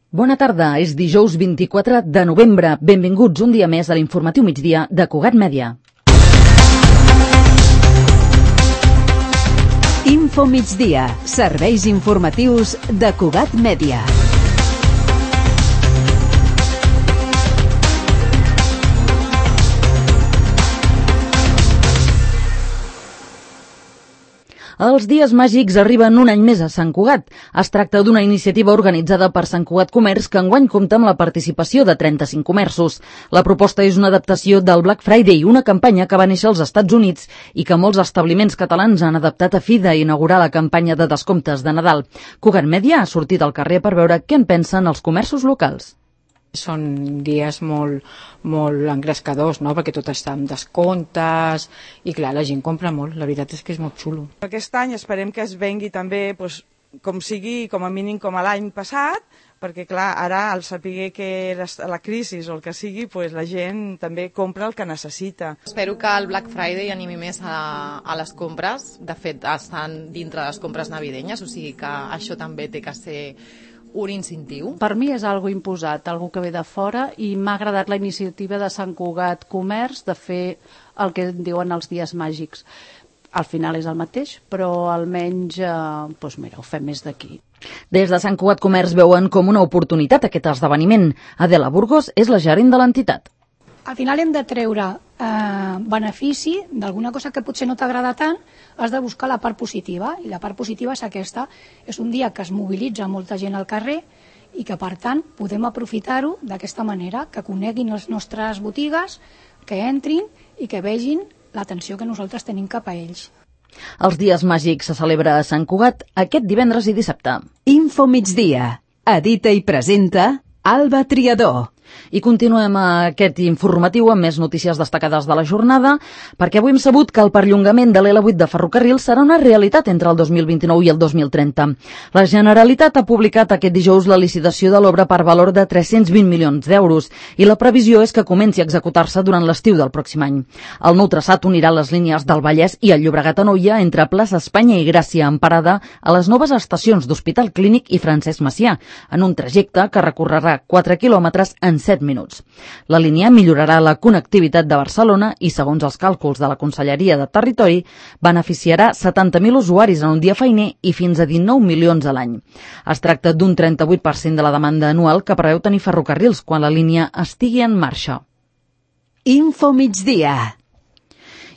Bona tarda, és dijous 24 de novembre. Benvinguts un dia més a l'informatiu migdia de Cugat Mèdia. Info migdia, serveis informatius de Cugat Mèdia. Els dies màgics arriben un any més a Sant Cugat. Es tracta d'una iniciativa organitzada per Sant Cugat Comerç que enguany compta amb la participació de 35 comerços. La proposta és una adaptació del Black Friday, una campanya que va néixer als Estats Units i que molts establiments catalans han adaptat a fi d'inaugurar la campanya de descomptes de Nadal. Cugat Mèdia ha sortit al carrer per veure què en pensen els comerços locals. Són dies molt engrescadors, no? Perquè tot està amb descomptes i clar, la gent compra molt, la veritat és que és molt xulo. Aquest any esperem que es vengui també com sigui, com a mínim com a l'any passat, perquè clar, ara al saber que la crisi o el que sigui, la gent també compra el que necessita. Espero que el Black Friday animi més a les compres, de fet estan dintre de les compres navidenyes, o sigui que això també té que ser un incentiu. Per mi és algo imposat, algo que ve de fora, i m'ha agradat la iniciativa de Sant Cugat Comerç de fer el que diuen els dies màgics. Al final és el mateix, però almenys ho fem més d'aquí. Des de Sant Cugat Comerç veuen com una oportunitat aquest esdeveniment. Adela Burgos és la gerent de l'entitat. Al final hem de treure benefici d'alguna cosa que potser no t'agrada tant, has de buscar la part positiva, i la part positiva és aquesta. És un dia que es mobilitza molta gent al carrer i que, per tant, podem aprofitar-ho d'aquesta manera, que coneguin les nostres botigues, que entrin i que vegin l'atenció que nosaltres tenim cap a ells. Els dies màgics se celebra a Sant Cugat aquest divendres i dissabte. Info migdia. Edita i presenta Alba Triador. I continuem aquest informatiu amb més notícies destacades de la jornada, perquè avui hem sabut que el perllongament de l'L8 de ferrocarril serà una realitat entre el 2029 i el 2030. La Generalitat ha publicat aquest dijous la licitació de l'obra per valor de 320 milions d'euros i la previsió és que comenci a executar-se durant l'estiu del pròxim any. El nou traçat unirà les línies del Vallès i el Llobregat-Anoia entre plaça Espanya i Gràcia, en parada a les noves estacions d'Hospital Clínic i Francesc Macià, en un trajecte que recorrerà 4 quilòmetres en 7 minuts. La línia millorarà la connectivitat de Barcelona i, segons els càlculs de la Conselleria de Territori, beneficiarà 70.000 usuaris en un dia feiner i fins a 19 milions a l'any. Es tracta d'un 38% de la demanda anual que preveu tenir ferrocarrils quan la línia estigui en marxa. Info migdia.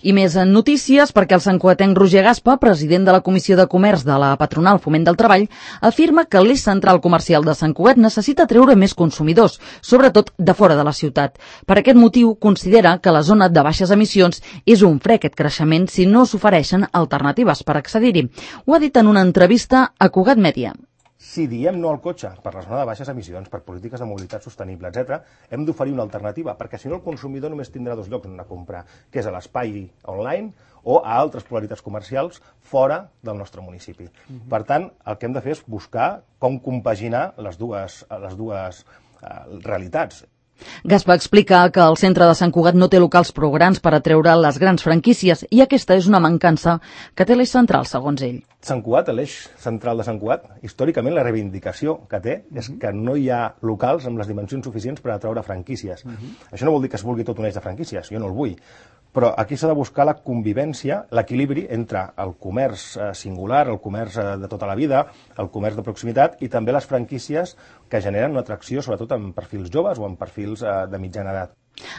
I més en notícies, perquè el santcugatenc Roger Gaspa, president de la Comissió de Comerç de la Patronal Foment del Treball, afirma que l'eix central comercial de Sant Cugat necessita treure més consumidors, sobretot de fora de la ciutat. Per aquest motiu, considera que la zona de baixes emissions és un fre aquest creixement si no s'ofereixen alternatives per accedir-hi. Ho ha dit en una entrevista a Cugat Mèdia. Si diem no al cotxe per la zona de baixes emissions, per polítiques de mobilitat sostenible, etc., hem d'oferir una alternativa, perquè si no el consumidor només tindrà dos llocs on anar a comprar, que és a l'espai online o a altres polaritats comercials fora del nostre municipi. Per tant, el que hem de fer és buscar com compaginar les dues realitats. Gaspa explica que el centre de Sant Cugat no té locals prou grans per atreure les grans franquícies i aquesta és una mancança que té l'eix central, segons ell. Sant Cugat, l'eix central de Sant Cugat, històricament la reivindicació que té és que no hi ha locals amb les dimensions suficients per atraure franquícies. Això no vol dir que es vulgui tot un eix de franquícies, jo no el vull, però aquí s'ha de buscar la convivència, l'equilibri entre el comerç singular, el comerç de tota la vida, el comerç de proximitat i també les franquícies que generen una atracció sobretot en perfils joves o en perfils de mitjana edat.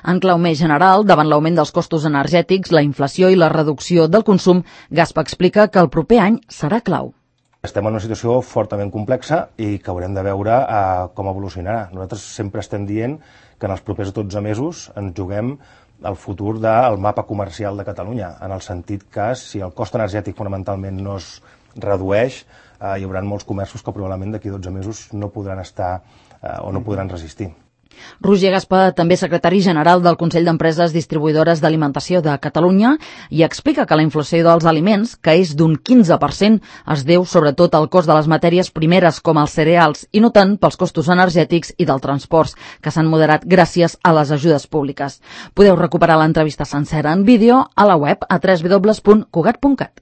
En clau més general, davant l'augment dels costos energètics, la inflació i la reducció del consum, Gaspa explica que el proper any serà clau. Estem en una situació fortament complexa i que haurem de veure com evolucionarà. Nosaltres sempre estem dient que en els propers 12 mesos ens juguem el futur del mapa comercial de Catalunya, en el sentit que si el cost energètic fonamentalment no es redueix, hi haurà molts comerços que probablement d'aquí 12 mesos no podran estar o no podran resistir. Roger Gaspa, també secretari general del Consell d'Empreses Distribuïdores d'Alimentació de Catalunya, i explica que la inflació dels aliments, que és d'un 15%, es deu sobretot al cost de les matèries primeres com els cereals i no tant pels costos energètics i del transport, que s'han moderat gràcies a les ajudes públiques. Podeu recuperar l'entrevista sencera en vídeo a la web a www.cugat.cat.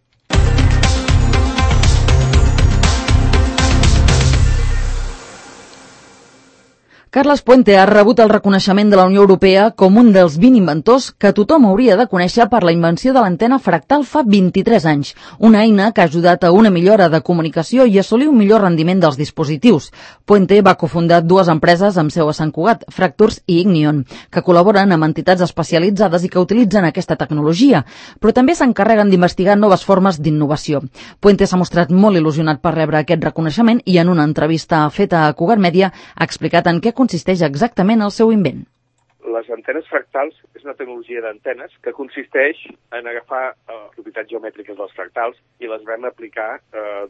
Carles Puente ha rebut el reconeixement de la Unió Europea com un dels 20 inventors que tothom hauria de conèixer per la invenció de l'antena fractal fa 23 anys, una eina que ha ajudat a una millora de comunicació i assolir un millor rendiment dels dispositius. Puente va cofundar dues empreses amb seu a Sant Cugat, Fracturs i Ignion, que col·laboren amb entitats especialitzades i que utilitzen aquesta tecnologia, però també s'encarreguen d'investigar noves formes d'innovació. Puente s'ha mostrat molt il·lusionat per rebre aquest reconeixement i en una entrevista feta a Cugat Mèdia ha explicat en què consisteix exactament el seu invent. Les antenes fractals és una tecnologia d'antenes que consisteix en agafar propietats geomètriques dels fractals i les vam aplicar,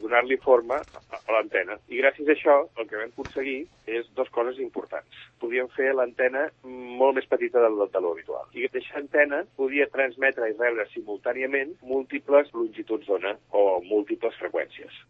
donar-li forma a l'antena. I gràcies a això el que vam aconseguir és dues coses importants. Podíem fer l'antena molt més petita de lo habitual. I aquesta antena podia transmetre i rebre simultàniament múltiples longituds d'ona o múltiples freqüències.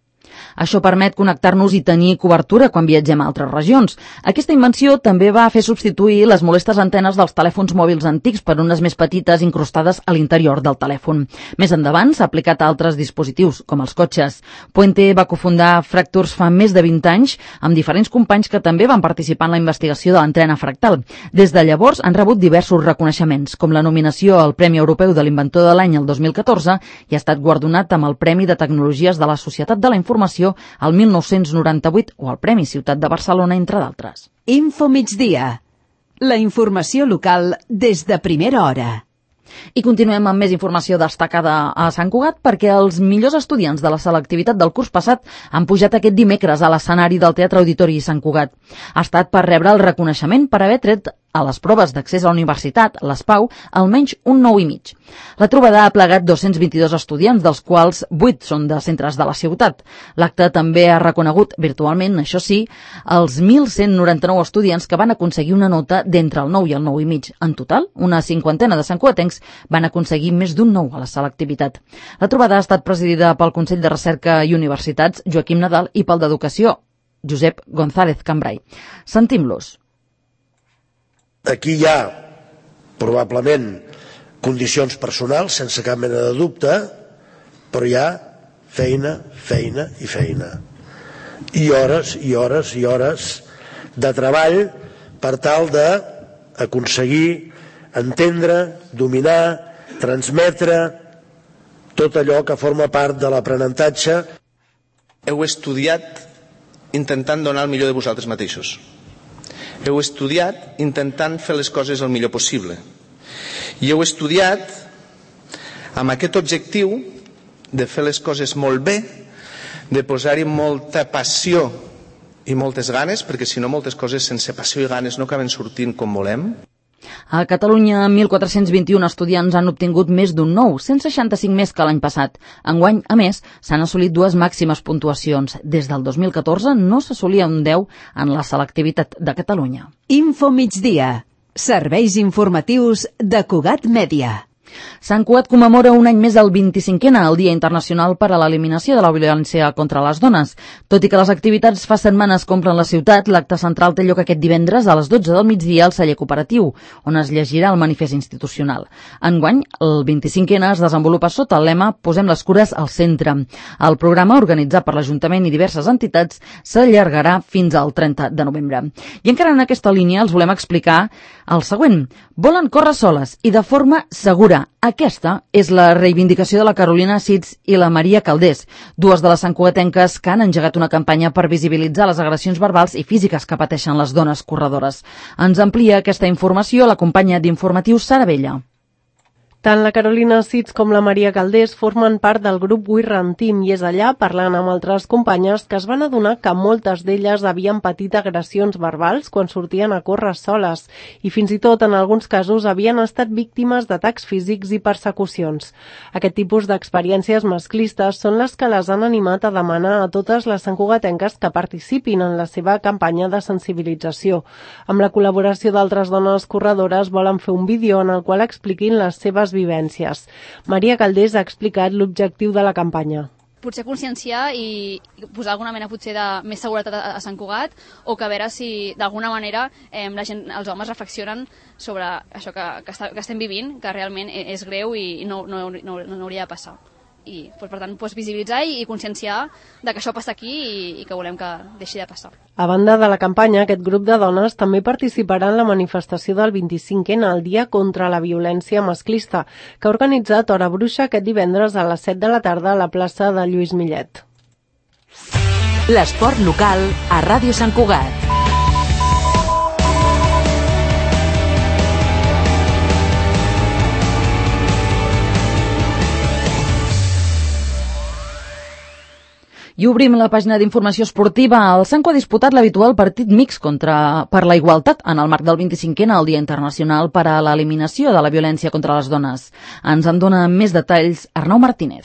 Això permet connectar-nos i tenir cobertura quan viatgem a altres regions. Aquesta invenció també va fer substituir les molestes antenes dels telèfons mòbils antics per unes més petites incrustades a l'interior del telèfon. Més endavant s'ha aplicat a altres dispositius, com els cotxes. Puente va cofundar Fracturs fa més de 20 anys amb diferents companys que també van participar en la investigació de l'antena fractal. Des de llavors han rebut diversos reconeixements, com la nominació al Premi Europeu de l'Inventor de l'any el 2014 i ha estat guardonat amb el Premi de Tecnologies de la Societat de la Informació al 1998 o el Premi Ciutat de Barcelona, entre d'altres. Info Migdia. La informació local des de primera hora. I continuem amb més informació destacada a Sant Cugat perquè els millors estudiants de la selectivitat del curs passat han pujat aquest dimecres a l'escenari del Teatre Auditori Sant Cugat. Ha estat per rebre el reconeixement per haver tret a les proves d'accés a la universitat, les PAU, almenys un 9,5. La trobada ha plegat 222 estudiants, dels quals 8 són de centres de la ciutat. L'acte també ha reconegut virtualment, això sí, els 1.199 estudiants que van aconseguir una nota d'entre el 9 i el 9,5. En total, una cinquantena de santcugatencs van aconseguir més d'un 9 a la selectivitat. La trobada ha estat presidida pel Consell de Recerca i Universitats, Joaquim Nadal, i pel d'Educació, Josep González Cambrai. Sentim-los. Aquí hi ha, probablement, condicions personals, sense cap mena de dubte, però hi ha feina, feina i feina. I hores, i hores, i hores de treball per tal d'aconseguir entendre, dominar, transmetre tot allò que forma part de l'aprenentatge. Heu estudiat intentant donar el millor de vosaltres mateixos. Heu estudiat intentant fer les coses el millor possible. I heu estudiat amb aquest objectiu de fer les coses molt bé, de posar-hi molta passió i moltes ganes, perquè si no moltes coses sense passió i ganes no acaben sortint com volem. A Catalunya, 1.421 estudiants han obtingut més d'un 9, 165 més que l'any passat. Enguany, a més, s'han assolit dues màximes puntuacions. Des del 2014 no s'assolia un 10 en la selectivitat de Catalunya. Info Migdia. Serveis informatius de Cugat Mèdia. Sant Cugat commemora un any més el 25è, el Dia Internacional per a l'Eliminació de la Violència contra les Dones. Tot i que les activitats fa setmanes compren la ciutat, l'acte central té lloc aquest divendres a les 12 del migdia al celler cooperatiu, on es llegirà el manifest institucional. Enguany, el 25è es desenvolupa sota el lema Posem les cures al centre. El programa, organitzat per l'Ajuntament i diverses entitats, s'allargarà fins al 30 de novembre. I encara en aquesta línia els volem explicar el següent. Volen córrer soles i de forma segura. Aquesta és la reivindicació de la Carolina Sits i la Maria Caldés, dues de les santcugatenques que han engegat una campanya per visibilitzar les agressions verbals i físiques que pateixen les dones corredores. Ens amplia aquesta informació la companya d'Informatius Sara Vella. Tant la Carolina Sits com la Maria Caldés formen part del grup We Run Team i és allà, parlant amb altres companyes, que es van adonar que moltes d'elles havien patit agressions verbals quan sortien a córrer soles i fins i tot en alguns casos havien estat víctimes d'atacs físics i persecucions. Aquest tipus d'experiències masclistes són les que les han animat a demanar a totes les santcugatenques que participin en la seva campanya de sensibilització. Amb la col·laboració d'altres dones corredores volen fer un vídeo en el qual expliquin les seves vivències. Maria Caldés ha explicat l'objectiu de la campanya. Potser conscienciar i posar alguna mena potser de més seguretat a Sant Cugat o que a veure si d'alguna manera la gent, els homes reflexionen sobre això que estem vivint, que realment és greu i no hauria de passar. i per tant visibilitzar i conscienciar de que això passa aquí i que volem que deixi de passar. A banda de la campanya, aquest grup de dones també participarà en la manifestació del 25N, el Dia contra la Violència Masclista, que ha organitzat Hora Bruixa aquest divendres a les 7 de la tarda a la plaça de Lluís Millet. L'esport local a Ràdio Sant Cugat. I obrim la pàgina d'informació esportiva. El Sanco ha disputat l'habitual partit mix per la igualtat en el marc del 25N, el Dia Internacional per a l'Eliminació de la Violència contra les Dones. Ens en dona més detalls Arnau Martínez.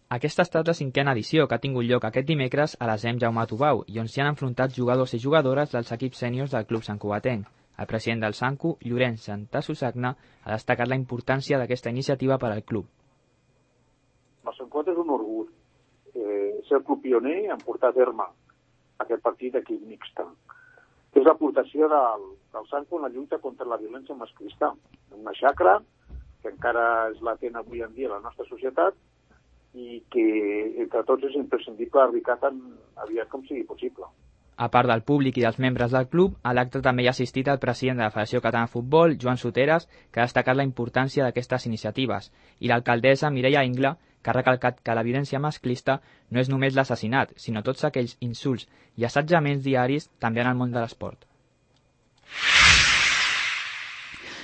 Aquesta ha estat la 5a edició que ha tingut lloc aquest dimecres a l'ASEM Jaume Tubau i on s'hi han enfrontat jugadors i jugadores dels equips sèniors del club santcugatenc. El president del Sanco, Llorenç Santasusagna, ha destacat la importància d'aquesta iniciativa per al club. El Sant Cugat és un orgull ser el club pioner en portar a terme aquest partit d'equip mixta. És l'aportació del Sanco en la lluita contra la violència masclista, una xacra que encara és latent avui en dia a la nostra societat i que entre tots és imprescindible erradicar tan aviat com sigui possible. A part del públic i dels membres del club, a l'acte també hi ha assistit el president de la Federació Catalana de Futbol, Joan Soteres, que ha destacat la importància d'aquestes iniciatives, i l'alcaldessa Mireia Ingla, que ha recalcat que la violència masclista no és només l'assassinat, sinó tots aquells insults i assetjaments diaris també en el món de l'esport.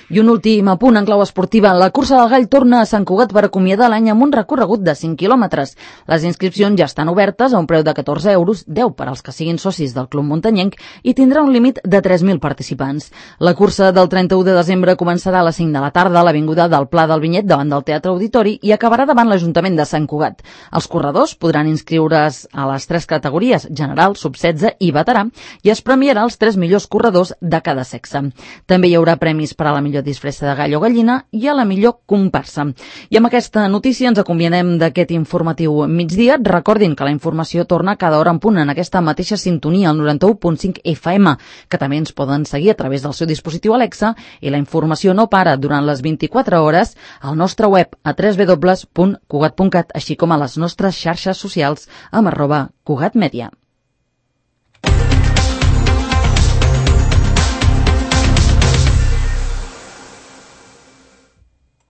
I un últim apunt en clau esportiva. La cursa del Gall torna a Sant Cugat per acomiadar l'any amb un recorregut de 5 quilòmetres. Les inscripcions ja estan obertes a un preu de 14 euros, 10 per als que siguin socis del Club Muntanyenc, i tindrà un límit de 3.000 participants. La cursa del 31 de desembre començarà a les 5 de la tarda a l'avinguda del Pla del Vinyet davant del Teatre Auditori i acabarà davant l'Ajuntament de Sant Cugat. Els corredors podran inscriure's a les 3 categories, general, sub-16 i veterà, i es premiarà els 3 millors corredors de cada sexe. També hi haurà premis per a la millor disfressa de gall o gallina i a la millor comparsa. I amb aquesta notícia ens acomiadem d'aquest informatiu migdia. Recordin que la informació torna cada hora en punt en aquesta mateixa sintonia, al 91.5 FM, que també ens poden seguir a través del seu dispositiu Alexa, i la informació no para durant les 24 hores al nostre web a www.cugat.cat, així com a les nostres xarxes socials amb @cugatmedia.